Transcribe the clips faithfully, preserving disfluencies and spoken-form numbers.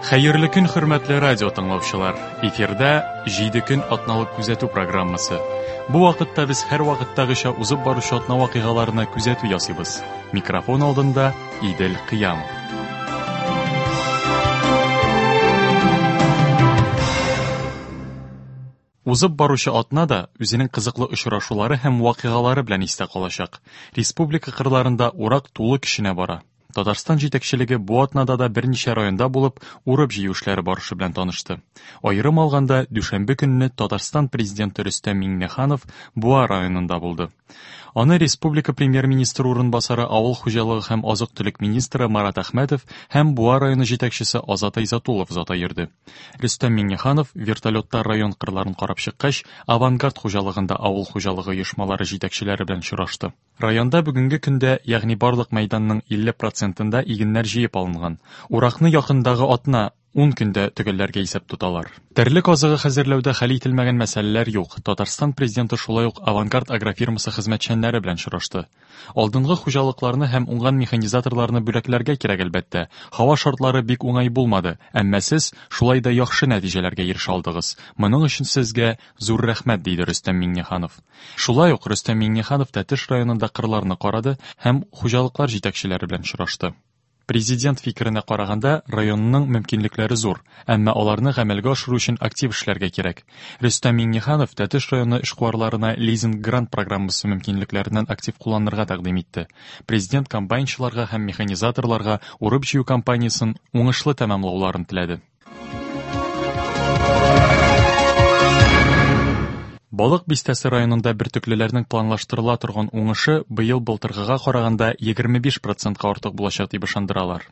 Хәерле көн, хөрмәтле радио тыңлаучылар. Эфирда җиде көн атналык күзәтү программасы. Бу вакытта без һәр вакыттагыча узып баручы атна вакыйгаларына күзәтү ясыйбыз. Микрофон алдында Идел Кыямов. Узып баручы атна да үзенең кызыклы очрашулары һәм вакыйгалары белән истә калачак. Республика кырларында урак тулы көченә бара. Татарстан җитәкчелеге бу атнада да берничә районда булып, урып-җыю эшләре барышы белән танышты. Аерым алганда, дүшәмбе көнне Татарстан президенты Рөстәм Миңнеханов Буа районында булды. Аны республика премьер-министры урынбасары, авыл хуҗалыгы һәм азык-төлек министры Марат Әхмәтов һәм Буа районы җитәкчесе Азат Айзатуллов озата йөрде. Рөстәм Миңнеханов вертолетта район кырларын карап чыккач, Авангард хуҗалыгында авыл хуҗалыгы оешмалары җитәкчеләре белән очрашты. Районда бүгенге көндә, ягъни барлык мәйданның илле процентында игеннәр җыеп алынган. Уракны якындагы атна ун көндә төгәлләргә исәп тоталар. Терлек азыгы хәзерләүдә хәл ителмәгән мәсьәләләр юк. Татарстан президенты шулай ук Авангард агрофирмасы хезмәтчәннәре белән очрашты. Алдынгы хуҗалыкларны һәм уңган механизаторларны бүләкләргә кирәк әлбәттә. Һава шартлары бик уңай булмады, әмма сез шулай да яхшы нәтиҗәләргә ирешә алдыгыз. Моның өчен сезгә зур рәхмәт, диде Рөстәм Миңнеханов. Шулай ук Рөстәм Миңнеханов Тәтеш районында кырларны карады һәм хуҗалыклар җитәкчеләре белән очрашты. Президент фикеренә караганда, районның мөмкинлекләре зур, әмма аларны гамәлгә ашыру өчен актив эшләргә кирәк. Рөстәм Миңнеханов Тәтеш районы эшкуарларына лизинг-грант программасы мөмкинлекләреннән актив кулланырга тәкъдим итте. Президент комбайнчыларга һәм механизаторларга урып-җыю кампаниясен уңышлы тәмамлауларын теләде. Балык бистәсе районында бөртеклеләрнең планлаштырыла торган уңышы быел былтыргыга караганда егерме биш процентка артык булачак дип ышандыралар.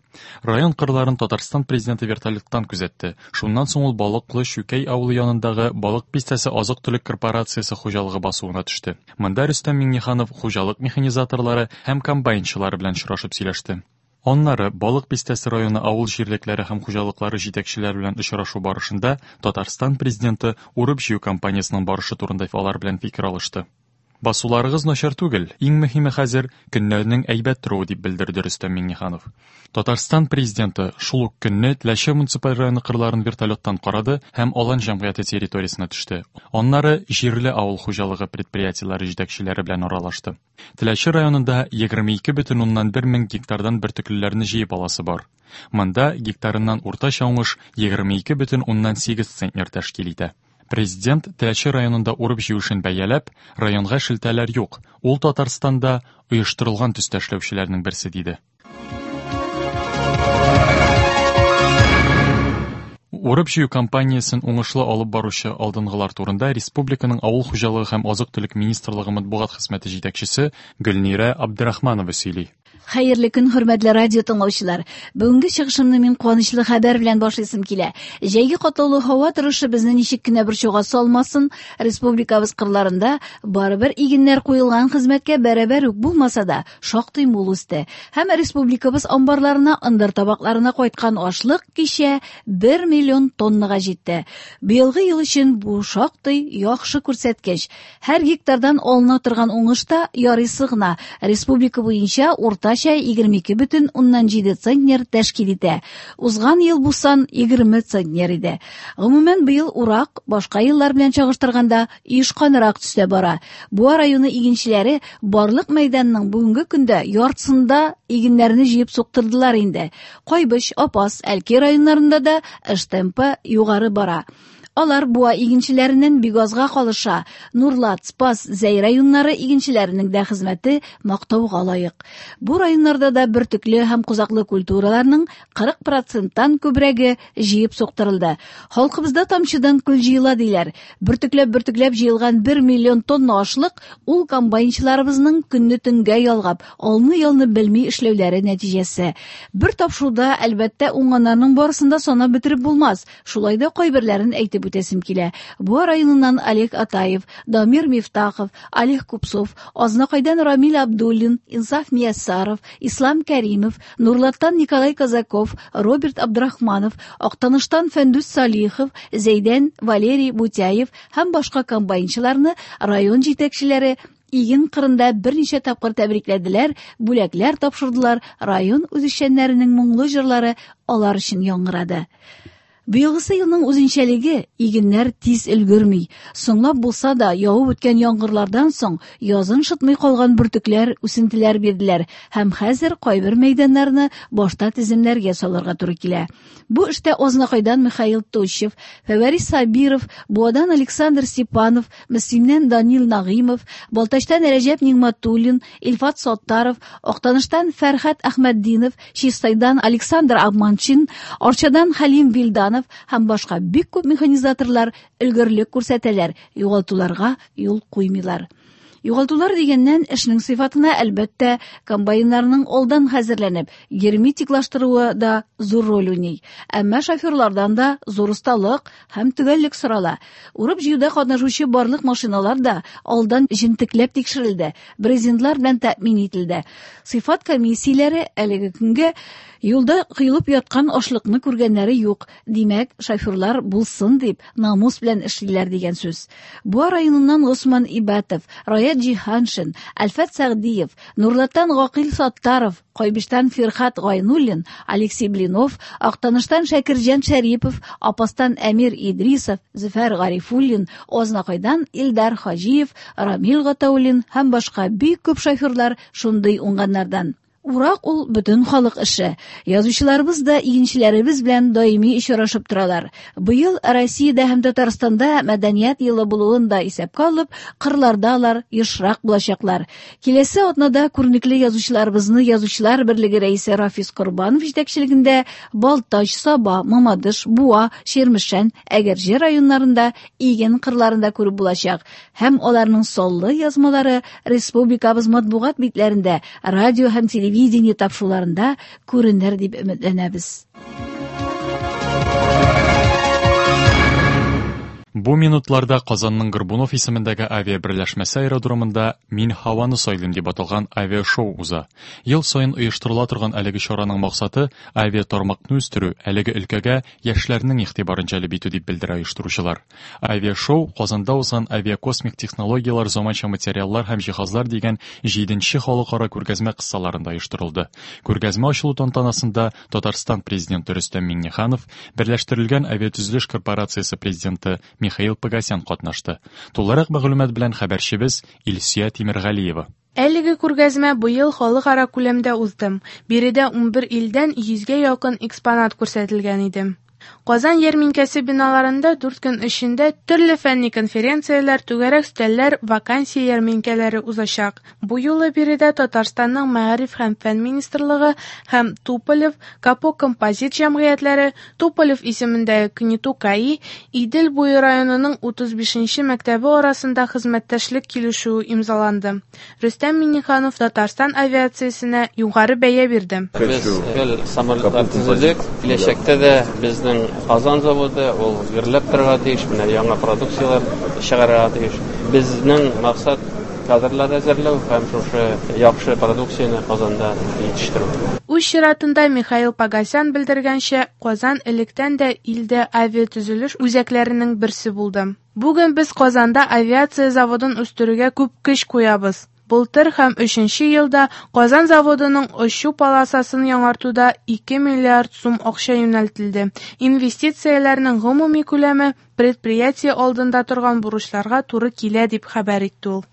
Район кырларын Татарстан президенты вертолеттан күзәтте. Шуннан соң ул Балыклы Чүкәй авылы янындагы Балык бистәсе азык-төлек корпорациясе хуҗалыгы басуына төште. Монда Рөстәм Миңнеханов хуҗалык механизаторлары һәм комбайнчылары белән очрашып сөйләште. Аннары Балык бистәсе районы авыл җирлекләре һәм хуҗалыклары җитәкчеләре белән очрашу барышында Татарстан президенты урып-җыю кампаниясының барышы турында алар белән фикер алышты. Басуларыгыз начар түгел, иң мөһиме хәзер көннәрнең әйбәт торуы, дип белдерде Рөстәм Миңнеханов. Татарстан президенты шул ук көнне Теләче муниципаль районы кырларын вертолеттан карады һәм Алан җәмгыяте территориясенә төште. Аннары җирле авыл хуҗалыгы предприятиеләре җитәкчеләре белән аралашты. Теләче районында егерме ике бөтен уннан бер мең гектардан бөртеклеләрне җыеп аласы бар. Монда гектарыннан уртача уңыш егерме ике бөтен уннан сигез центнер тәшкил итә. Президент Теләче районында урып-җыю эшен бәяләп, районга шелтәләр юк, ул Татарстанда оештырылган төстә эшләүчеләрнең берсе, диде. Урып-җыю кампаниясен уңышлы алып баручы алдынгылар турында республиканың авыл хуҗалыгы һәм азык-төлек министрлыгы матбугат хезмәте җитәкчесе Гөлнирә Абдрахманова сөйли. Хәерле көн, хөрмәтле радио тыңлаучылар. Бүгенге чыгышымны мин куанычлы хәбәр белән башлыйсым килә. Җәйге катлаулы һава торышы безне ничек кенә борчуга салмасын, республикабыз кырларында барыбер игеннәр куелган хезмәткә бәрабәр үк булмаса да, шактый мул үсте. Һәм республикабыз амбарларына, ындыр табакларына кайткан ашлык кичә бер миллион тоннага җитте. Быелгы ел өчен бу шактый яхшы күрсәткеч. Һәр гектардан алына торган уңыш та ярыйсы гына. Республика буенча уртача егерме ике бөтен уннан җиде центнер тәшкил итә. Узган ел бу сан егерме центнер иде. Гомумән, быел урак башка еллар белән чагыштырганда оешканрак төстә бара. Буа районы игенчеләре барлык мәйданның бүгенге көндә яртысында игеннәрне җыеп суктырдылар инде. Кайбыч, Апас, Әлки районнарында да эш темпы югары бара. Алар Буа игенчеләреннән бик азга калыша. Нурлат, Спас, Зәй районнары игенчеләренең дә хезмәте мактауга лаек. Бу районнарда да бөртекле һәм кузаклы культураларның кырык проценттан күбрәге җыеп суктырылды. Халкыбызда тамчыдан көл җыела диләр. Бөртекләп-бөртекләп җыелган бер миллион тонна ашлык ул комбайнчыларыбызның көнне төнгә ялгап, алны-ялны белми эшләүләре нәтиҗәсе. Бер тапшыруда, әлбәттә, уңганнарның барысын да санап бетереп булмас. Шулай да кайберләрен әйтеп үтәсем килә. Буа районыннан Олег Атаев, Дамир Мифтахов, Олег Купцов, Азнакайдан Рамил Абдуллин, Инсаф Мияссаров, Ислам Кәримов, Нурлаттан Николай Казаков, Роберт Абдрахманов, Актаныштан Фәндүс Салихов, Зәйдән Валерий Бутяев һәм башка комбайнчыларны район җитәкчеләре иген кырында берничә тапкыр тәбрикләделәр, бүләкләр тапшырдылар, район үзешчәннәренең моңлы җырлары алар өчен яңгырады. Быелгысы елның үзенчәлеге игеннәр тиз өлгерми. Соңлап булса да, явып үткән яңгырлардан соң язын шытмый калган бөртекләр, үсентеләр бирделәр һәм хәзер кайбер мәйданнарны башта теземнәргә салырга туры килә. Бу эштә Азнакайдан Михаил Тощев, Фәвәрис Сабиров, Буадан Александр Степанов, Мөслимнән Данил Нагыймов, Балтачтан Рәҗәп Нигматуллин, Илфат Саттаров, Актаныштан Фәрхәт Әхмәтдинов, Чистайдан Александр Абманчин, Арчадан Хәлим Вилданов һәм башка бик күп механизаторлар өлгерлек күрсәтәләр, югалтуларга юл куймыйлар. Югалтулар дигәннән, эшнең сыйфатына әлбәттә комбайннарның алдан хәзерләнеп, герметиклаштыруы да зур роль уйный. Әмма шоферлардан да зур осталык һәм төгәллек сорала. Урып җыюда катнашучы барлык машиналар да алдан җентекләп тикшерелде, брезентлар белән тәэмин ителде. Сыйфат комиссияләре әлеге көнгә юлда коелып яткан ашлыкны күргәннәре юк. Димәк, шоферлар булсын дип намус белән эшлиләр дигән сүз. Буа районыннан Госман Ибатов, Раят Җиһаншин, Әлфәт Сәгъдиев, Нурлаттан Гакил Саттаров, Кайбыштан Фирхат Гайнуллин, Алексей Блинов, Актаныштан Шәкирҗан Шәрипов, Апастан Әмир Идрисов, Зөфәр Гарифуллин, Азнакайдан Илдар Хаҗиев, Рамил Гатауллин һәм башка бик күп шоферлар шундый уңганнардан. Урак ул бөтен халык эше. Язучыларыбыз да игенчеләребез белән даими очрашып торалар. Быел Россиядә һәм Татарстанда мәдәният елы булуын да исәпкә алып, кырларда алар ешрак булачаклар. Киләсе атнада күренекле язучыларыбызны Язучылар берлеге рәисе Рафис Корбанов җитәкчелегендә Балтач, Саба, Мамадыш, Буа, Чирмешән, Әгерҗе районнарында иген кырларында күреп булачак. Һәм аларның саллы язмалары республикабыз матбугат битләрендә, радио һәм телевидение тапшыруларында күренер дип өметләнәбез. Бу минутларда Казанның Горбунов исемендәге авиаберләшмәсе аэродромында «Мин һаваны сайлыйм» дип аталган авиашоу уза. Ел саен оештырыла торган әлеге чараның максаты авиатармакны үстерү, әлеге өлкәгә яшьләрнең игътибарын җәлеп итү дип белдерә оештыручылар. Авиашоу Казанда узган авиакосмик технологияләр, заманча материаллар һәм җиһазлар дигән җиденче халыкара күргәзмә кысаларында оештырылды. Күргәзмә ачылу тантанасында Татарстан президенты Рөстәм Миңнеханов, Берләштерелгән авиатөзелеш корпорациясе президенты Михаил Погосян катнашты. Тулырак мәгълүмат белән хәбәрчебез Илсөя Тимергалиева. Әлеге күргәзмә быел халыкара күләмдә узды. Биредә унбер илдән йөзгә якын экспонат күрсәтелгән иде. Казан ярминкәсе биналарында дүрт көн эчендә төрле фәнни конференцияләр, түгәрәк өстәлләр, вакансия ярминкәләре узачак. Бу юлы биредә Татарстанның Мәгариф һәм фән министрлыгы һәм Туполев, Капо композит җәмгыятьләре, Туполев исемендәге КНИТУ КАИ, Идел буе районының утыз бишенче мәктәбе арасында хезмәттәшлек килешүе имзаланды. Рөстәм Миңнеханов Татарстан авиациясенә югары бәя бирде. Без гел самолетлар төзедек. Киләчәктә дә безнең Казан заводы ул гөрләп торырга тиеш, менә яңа продукцияләр чыгарырга тиеш. Безнең максат кадрлар әзерләү һәм шушы яхшы продукцияне Казанда җитештерү. Үз чиратында Михаил Погосян белдергәнчә, Казан электән дә илдә авиатөзелеш үзәкләренең берсе булды. Бүген без Казанда авиация заводын үстерүгә күп көч куябыз. Былтыр һәм өченче елда Казан заводының очу полосасын яңартуда ике миллиард сум акча юнәлтелде. Инвестицияләрнең гомуми күләме предприятие алдында торган бурычларга туры килә дип хәбәр итте ул.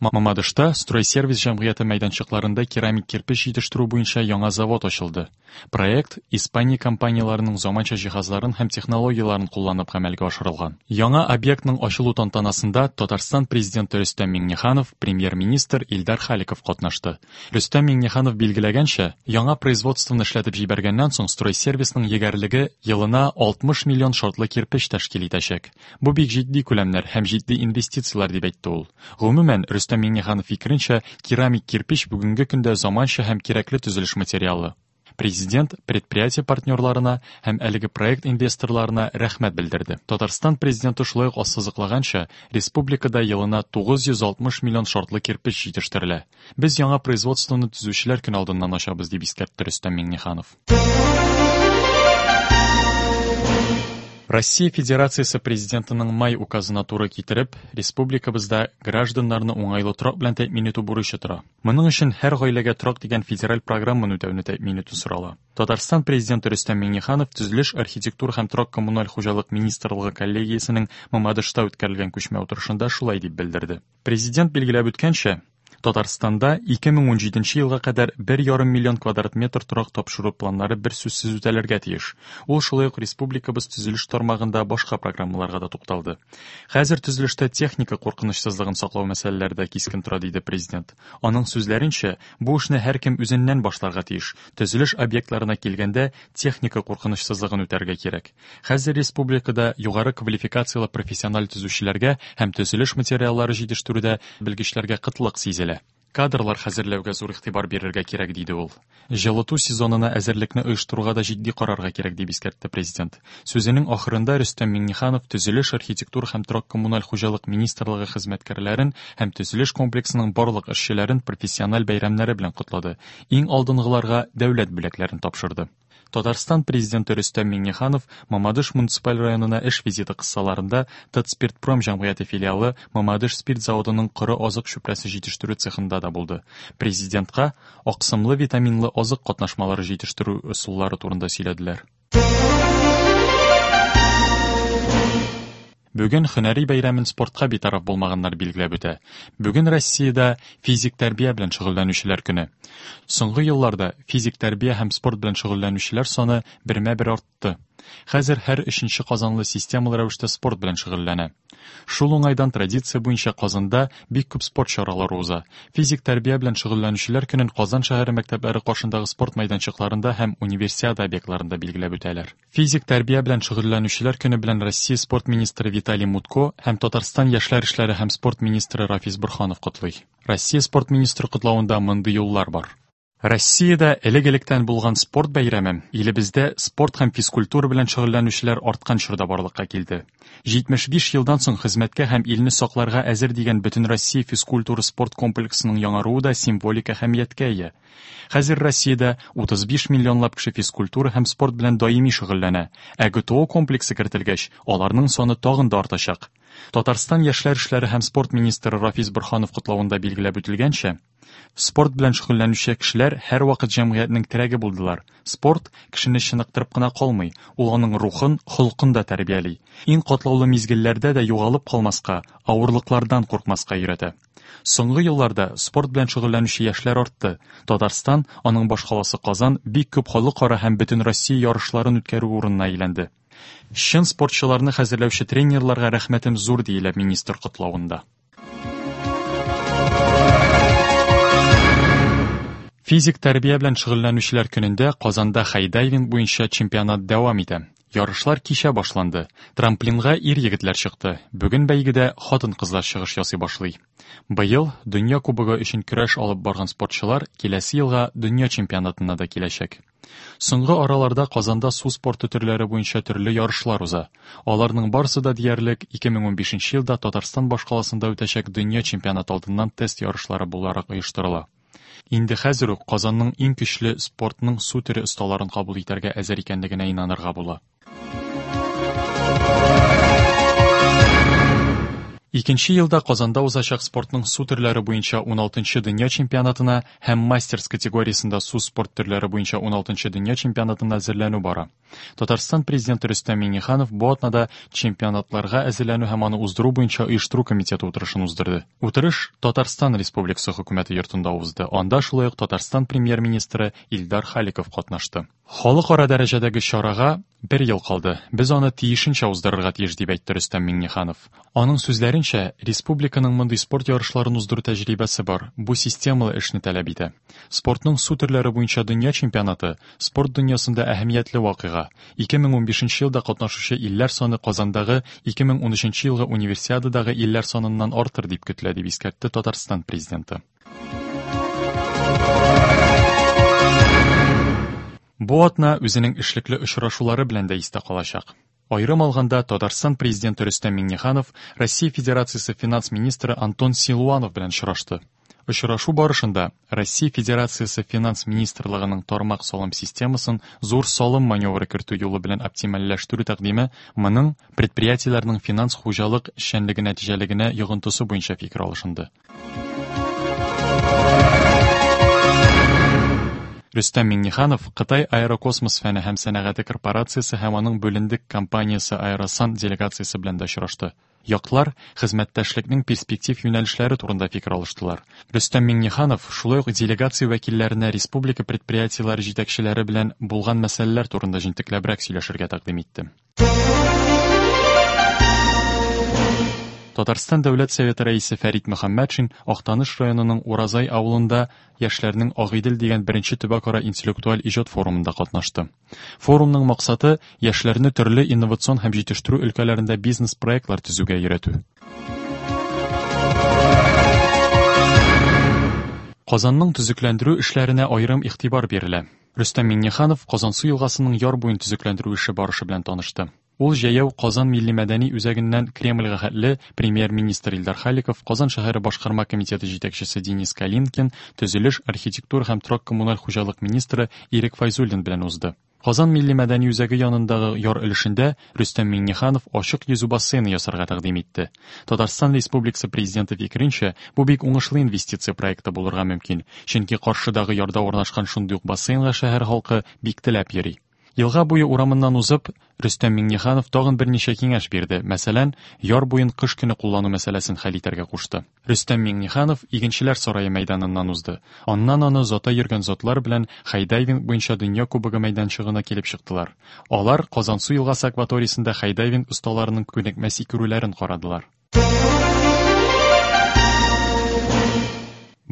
Мамадышта Стройсервис җәмгыяте мәйданчыкларында керамик кирпеч җитештерү буенча яңа завод ачылды. Проект Испания компанияләренең заманча җиһазларын һәм технологияләрен кулланып гамәлгә ашырылган. Яңа объектның ачылу тантанасында Татарстан президенты Рөстәм Миңнеханов, премьер-министр Илдар Халиков катнашты. Рөстәм Миңнеханов билгеләгәнчә, яңа производствоны эшләтеп җибәргәннән соң Стройсервисның егәрлеге елына алтмыш миллион шартлы кирпеч тәшкил итәчәк. Бу бик җитди күләмнәр һәм җитди инвестицияләр дип әйтте ул. Гомумән, Рөстәм Миңнеханов фикеренчә, керамик кирпеч бүгенге көндә заманча һәм кирәкле төзелеш материалы. Президент предприятие партнерларына һәм әлеге проект инвесторларына рәхмәт белдерде. Татарстан президенты шулай ук ассызыклаганча, республикада елына тугыз йөз алтмыш миллион шартлы кирпеч җитештерелә. Без яңа производствоны төзүчеләр көн алдыннан ачабыз, дип искәртте Рөстәм Миңнеханов. Россия Федерациясе Президентының май указына туры китереп, республикабызда гражданнарны уңайлы торак белән тәэмин итү бурычы тора. Моның өчен һәр гаиләгә торак дигән федераль программаны үтәүне тәэмин итү сорала. Татарстан Президенты Рөстәм Миңнеханов Төзелеш, архитектура һәм торак-коммуналь хуҗалык министрлыгы коллегиясенең Мамадышта үткәрелгән күчмә утырышында шулай дип белдерде. Президент билгеләп үткәнчә, Татарстанда ике мең унҗиденче елга кадәр бер ярым миллион квадрат метр торак тапшыру планнары бер сүзсез үтәлергә тиеш. Ул шулай ук республикабыз төзелеш тармагында башка программаларга да тукталды. Хәзер төзелештә техника куркынычсызлыгын саклау мәсьәләләре дә кискен тора, диде президент. Аның сүзләренчә, бу эшне һәркем үзеннән башларга тиеш. Төзелеш объектларына килгәндә техника куркынычсызлыгын үтәргә кирәк. Хәзер республикада югары квалификацияле профессиональ төзүчеләргә һәм төзелеш материаллары җитештерүдә белгечләргә кытлык сизелә. Кадрлар хәзерләүгә зур игътибар бирергә кирәк, диде ул. Җылыту сезонына әзерлекне оештыруга да җитди карарга кирәк, дип искәртте президент. Сүзенең ахырында Рөстәм Миңнеханов Төзелеш, архитектура һәм торак-коммуналь хуҗалык министрлыгы хезмәткәрләрен һәм төзелеш комплексының барлык эшчеләрен профессиональ бәйрәмнәре белән котлады. Иң алдынгыларга дәүләт бүләкләрен тапшырды. Татарстан президенты Рөстәм Миңнеханов Мамадыш муниципаль районына эш визиты кысаларында Татспиртпром җәмгыяте филиалы Мамадыш спирт заводының коры азык чүпрәсе җитештерү цехында да булды. Президентка аксымлы витаминлы азык катнашмалары җитештерү ысуллары турында сөйләделәр. Бүген һөнәри бәйрәмен спортка битараф булмаганнар билгеләп үтә. Бүген Россиядә физик тәрбия белән шөгыльләнүчеләр көне. Соңгы елларда физик тәрбия һәм спорт белән шөгыльләнүчеләр саны бермә-бер артты. Хәзер һәр өченче казанлы системалы рәвештә спорт белән шөгыльләнә. Шул уңайдан традиция буенча Казанда бик күп спорт чаралары уза. Физик тәрбия белән шөгыльләнүчеләр көнен Казан шәһәре мәктәпләре каршындагы спорт мәйданчыкларында һәм универсиада объектларында билгеләп үтәләр. Физик тәрбия белән шөгыльләнүчеләр көне белән Россия спорт министры Виталий Мутко һәм Татарстан яшьләр эшләре һәм спорт министры Рафис Борһанов котлый. Россия спорт министры котлавында мондый юллар бар. Россиядә элек-электән булган спорт бәйрәме илебездә спорт һәм физкультура белән шөгыльләнүчеләр арткан чорда барлыкка килде. җитмеш биш елдан соң хезмәткә һәм илне сакларга әзер дигән Бөтенроссия физкультура спорт комплексының яңаруы да символик әһәмияткә ия. Хәзер Россиядә утыз биш миллионлап кеше физкультура һәм спорт белән даими шөгыльләнә, ә ГТО комплексы кертелгәч, аларның саны тагын да артачак. Татарстан яшьләр эшләре һәм спорт министры Рафис Борһанов котлавында билгеләп үтелгәнчә, спорт белән шөгыльләнүче кешеләр һәрвакыт җәмгыятьнең терәге булдылар. Спорт кешене чыныктырып кына калмый, ул аның рухын, холкын да тәрбияли. Иң катлаулы мизгелләрдә дә югалып калмаска, авырлыклардан куркмаска өйрәтә. Соңгы елларда спорт белән шөгыльләнүче яшьләр артты. Татарстан, аның башкаласы Казан бик күп халыкара һәм бөтенроссия ярышларын үткәрү урынына әйләнде. Чын спортчыларны хәзерләүче тренерларга рәхмәтем зур, диелә министр котлавында. Физик тәрбия белән шөгыльләнүчеләр көнендә Казанда хай-дайвинг буенча чемпионат дәвам итә. Ярышлар кичә башланды. Трамплинга ир егетләр чыкты. Бүген бәйгедә хатын-кызлар чыгыш ясый башлый. Быел Дөнья кубогы өчен көрәш алып барган спортчылар киләсе елга дөнья чемпионатына да киләчәк. Соңгы араларда Казанда су спорты төрләре буенча төрле ярышлар уза. Аларның барысы да диярлек ике мең унбишенче елда Татарстан башкаласында үтәчәк дөнья чемпионаты алдыннан тест ярышлары буларак оештырыла. Инде хәзер үк Казанның иң көчле спортның су төре осталарын кабул итәргә әзер икәнлегенә инанырга була. Икенче елда Казанда узачак спортның су төрләре буенча уналтынчы дөнья чемпионатына һәм мастерс категориясендә су спорт төрләре буенча уналтынчы дөнья чемпионатына әзерләнү бара. Татарстан президенты Рөстәм Миңнеханов бу атнада чемпионатларга әзерләнү һәм аны уздыру буенча оештыру комитеты утырышын уздырды. Утырыш Татарстан Республикасы хөкүмәте йортында узды. Анда шулай ук Татарстан премьер-министры Илдар Халиков катнашты. Халыкара дәрәҗәдәге чарага бер ел калды. Без аны тиешенчә уздырырга тиеш, дип әйтте Рөстәм Миңнеханов. Аның сүзләренчә, республиканың мондый спорт ярышларын уздыру тәҗрибәсе бар. Бу системалы эшне таләп итә. Спортның су төрләре буенча дөнья чемпионаты спорт дөньясында әһәмиятле вакыйга. ике мең унбишенче елда катнашучы илләр саны Казандагы ике мең унөченче елгы универсиададагы илләр саныннан артыр дип көтелә, дип искәртте Татарстан президенты. Бу атна үзенең эшлекле очрашулары белән дә истә калачак. Аерым алганда, Татарстан президенты Рөстәм Миңнеханов Россия Федерациясе финанс министры Антон Силуанов белән очрашты. Очрашу барышында Россия Федерациясе Финанс министрлыгының тармак салым системасын зур салым маневры кертү юлы белән оптимальләштерү тәкъдиме моның предприятиеләрнең финанс хуҗалык эшчәнлеге нәтиҗәлелегенә йогынтысы буенча фикер алышынды. Рөстәм Миңнеханов Кытай аэрокосмос фәне һәм сәнәгате корпорациясе һәм аның бүлендек компаниясе Аэросан делегациясе белән дә очрашты. Яклар хезмәттәшлекнең перспектив юнәлешләре турында фикер алыштылар. Рөстәм Миңнеханов шулай ук делегация вәкилләренә республика предприятиеләре җитәкчеләре белән булган мәсьәләләр турында җентекләбрәк сөйләшергә тәкъдим итте. Татарстан Дәүләт Советы рәисе Фәрит Мөхәммәтшин Актаныш районының Уразай авылында яшьләрнең Агыйдел дигән беренче төбәкара интеллектуаль иҗат форумында катнашты. Форумның максаты яшьләрне төрле инновацион һәм җитештерү өлкәләрендә бизнес-проектлар төзүгә өйрәтү. Казанның төзекләндерү эшләренә аерым игътибар бирелә. Рөстәм Миңнеханов Казансу елгасының яр буен төзекләндерү эше барышы белән танышты. Ул җәяү Казан милли мәдәни үзәгеннән Кремльгә хәтле премьер-министр Илдар Халиков, Казан шәһәре башкарма комитеты җитәкчесе Денис Калинкин, төзелеш, архитектура һәм торак-коммуналь хуҗалык министры Ирек Файзуллин белән узды. Казан милли мәдәни үзәге янындагы яр өлешендә Рөстәм Миңнеханов ачык йөзү бассейны ясарга тәкъдим итте. Татарстан Республикасы президенты фикеренчә, бу бик уңышлы инвестиция проекты булырга мөмкин, чөнки каршыдагы ярда урнашкан шундый ук бассейнга шәһәр халкы бик теләп йөри. Елга буе урамыннан узып, Рөстәм Миңнеханов тагын берничә киңәш бирде. Мәсәлән, яр буен кыш көне куллану мәсьәләсен хәл итәргә кушты. Рөстәм Миңнеханов Игенчеләр сарае мәйданыннан узды. Аннан аны озата йөргән затлар белән хай-дайвинг буенча дөнья кубогы мәйданчыгына килеп чыктылар. Алар Казансу елгасы акваториясендә хай-дайвинг осталарының күнекмә сикерүләрен карадылар.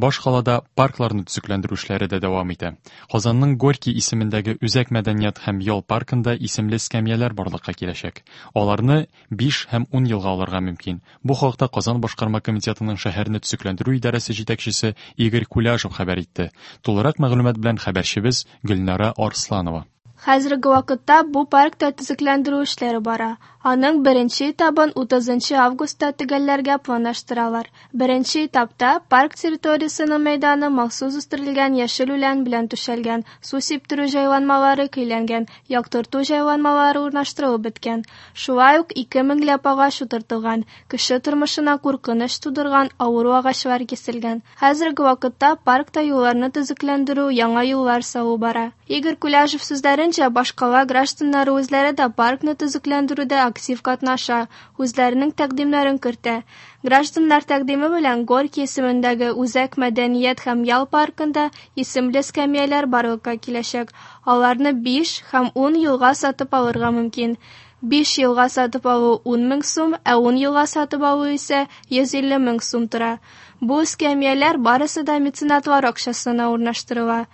Баш қалада паркларны төзекләндерү эшләре дә дәвам итә. Казанның Горький исемендәге Үзәк мәдәният һәм ял паркында исемле эскәмияләр барлыкка киләчәк. Аларны биш һәм ун елга алырга мөмкин. Бу хакта Казан башкарма комитетының шәһәрне төзекләндерү идарәсе җитәкчесе Игорь Куляжев хәбәр итте. Тулырак мәгълүмат белән хәбәрчебез Гөлнара Арсланова. Хәзерге вакытта бу паркта төзекләндерү эшләре бара. Аның беренче этабын утызынчы августта төгәлләргә планлаштыралар. Беренче этапта парк территориясының мәйданы махсус үстерелгән яшел үлән белән түшәлгән, су сиптерү җайланмалары көйләнгән, яктырту җайланмалары урнаштырылып беткән. Шулай ук ике меңләп агач утыртылган, кеше тормышына куркыныч тудырган авыру агачлар киселгән. Хәзерге вакытта паркта юлларны төзекләндерү, яңа юллар салу бара. Игорь Куляжев сүзләренчә, башкала гражданнары үзләре дә паркны төзекләндерүдә актив катнаша, үзләренең тәкъдимнәрен кертә. Гражданнар тәкъдиме белән Горький исемендәге Үзәк мәдәният һәм ял паркында исемле эскәмияләр барлыкка киләчәк. Аларны биш һәм ун елга сатып алырга мөмкин. Биш елга сатып алу ун мең сум, ә ун елга сатып алу исә йөз илле мең сум тора. Бу эскәмияләр барысы да меценатлар акчасына урнаштырыла.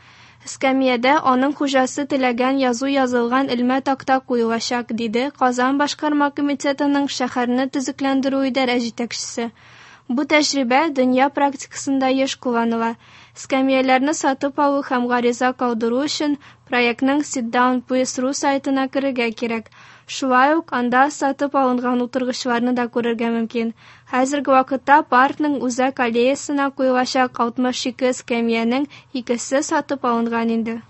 Эскәмиядә аның хуҗасы теләгән язу язылган элмә такта куелачак, диде Казан башкарма комитетының шәһәрне төзекләндерү идарә җитәкчесе. Бу тәҗрибә дөнья практикасында еш кулланыла. Эскәмияләрне сатып алу һәм гариза калдыру өчен проектның Sit Down Please точка ру сайтына керергә кирәк. Шулай ук анда сатып алынган утыргычларны да күрергә мөмкин. Хәзерге вакытта паркның үзәк аллеясына куелачак алтмыш ике эскәмиянең икесе сатып алынган инде.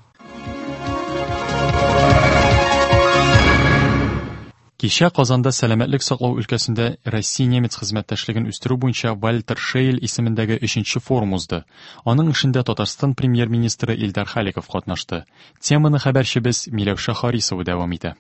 Кичә Казанда сәламәтлек саклау өлкәсендә Россия-немец хезмәттәшлеген үстерү буенча Вальтер Шейль исемендәге өченче форум узды. Аның эшендә Татарстан премьер-министры Илдар Халиков катнашты. Теманы хәбәрчебез Миләүшә Харисова дәвам итә.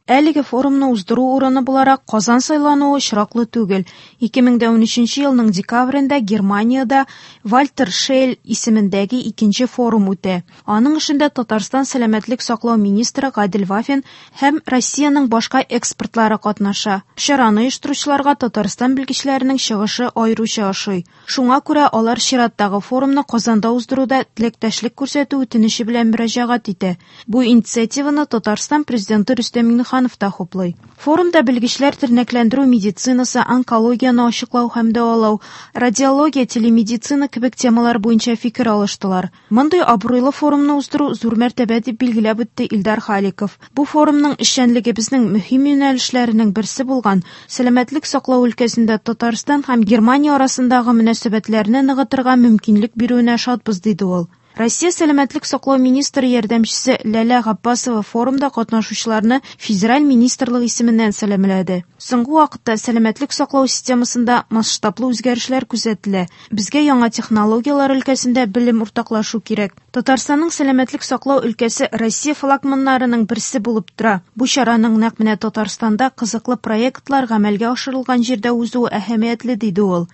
Әлеге форумны уздыру урыны буларак Казан сайлануы очраклы түгел. ике мең дә унөченче елның декабрендә Германиядә Вальтер Шейль исемендәге икенче форум үтә. Аның эшендә Татарстан сәламәтлек саклау министры Гадел Вафин һәм Россиянең башка экспертлары катнаша. Чараны оештыручыларга Татарстан белгечләренең чыгышы аеруча ошый. Шуңа күрә алар чираттагы форумны Казанда уздыруда теләктәшлек күрсәтү үтенече белән мөрәҗәгать итә. Бу инициативаны Татарстан президенты Рөстәм Миңнеханов Миңнеханов та хуплый. Форумда белгечләр тернәкләндерү медицинасы, онкологияне ачыклау һәм дәвалау, радиология, телемедицина кебек темалар буенча фикер алыштылар. Мондый абруйлы форумны уздыру зур мәртәбә дип билгеләп үтте Илдар Халиков. Бу форумның эшчәнлеге безнең мөһим юнәлешләренең берсе булган сәламәтлек саклау өлкәсендә Татарстан һәм Германия арасындагы мөнәсәбәтләрне ныгытырга мөмкинлек бирүенә шатбыз, диде ул. Россия сәламәтлек саклау министры ярдәмчесе Ләлә Габбасова форумда катнашучыларны федераль министрлык исеменнән сәламләде. Соңгы вакытта сәламәтлек саклау системасында масштаблы үзгәрешләр күзәтелә. Безгә яңа технологияләр өлкәсендә белем уртаклашу кирәк. Татарстанның сәламәтлек саклау өлкәсе Россия флагманнарының берсе булып тора. Бу чараның нәкъ менә Татарстанда кызыклы проектлар гамәлгә ашырылган җирдә узуы әһәмиятле, диде ул.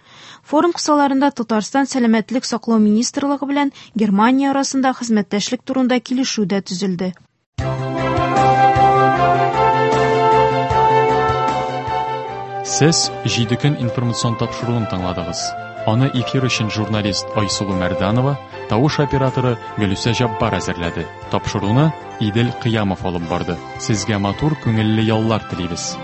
Форум кысаларында Татарстан сәламәтлек саклау министрлыгы белән Германия арасында хезмәттәшлек турында килешү дә төзелде. Сез Җиде көн информацион тапшыруын тыңладыгыз. Аны эфир өчен журналист Айсылу Мәрданова, тавыш операторы Гөлүсә Җаббар әзерләде. Тапшыруны Идел Кыямов алып барды. Сезгә матур, күңелле яллар телибез.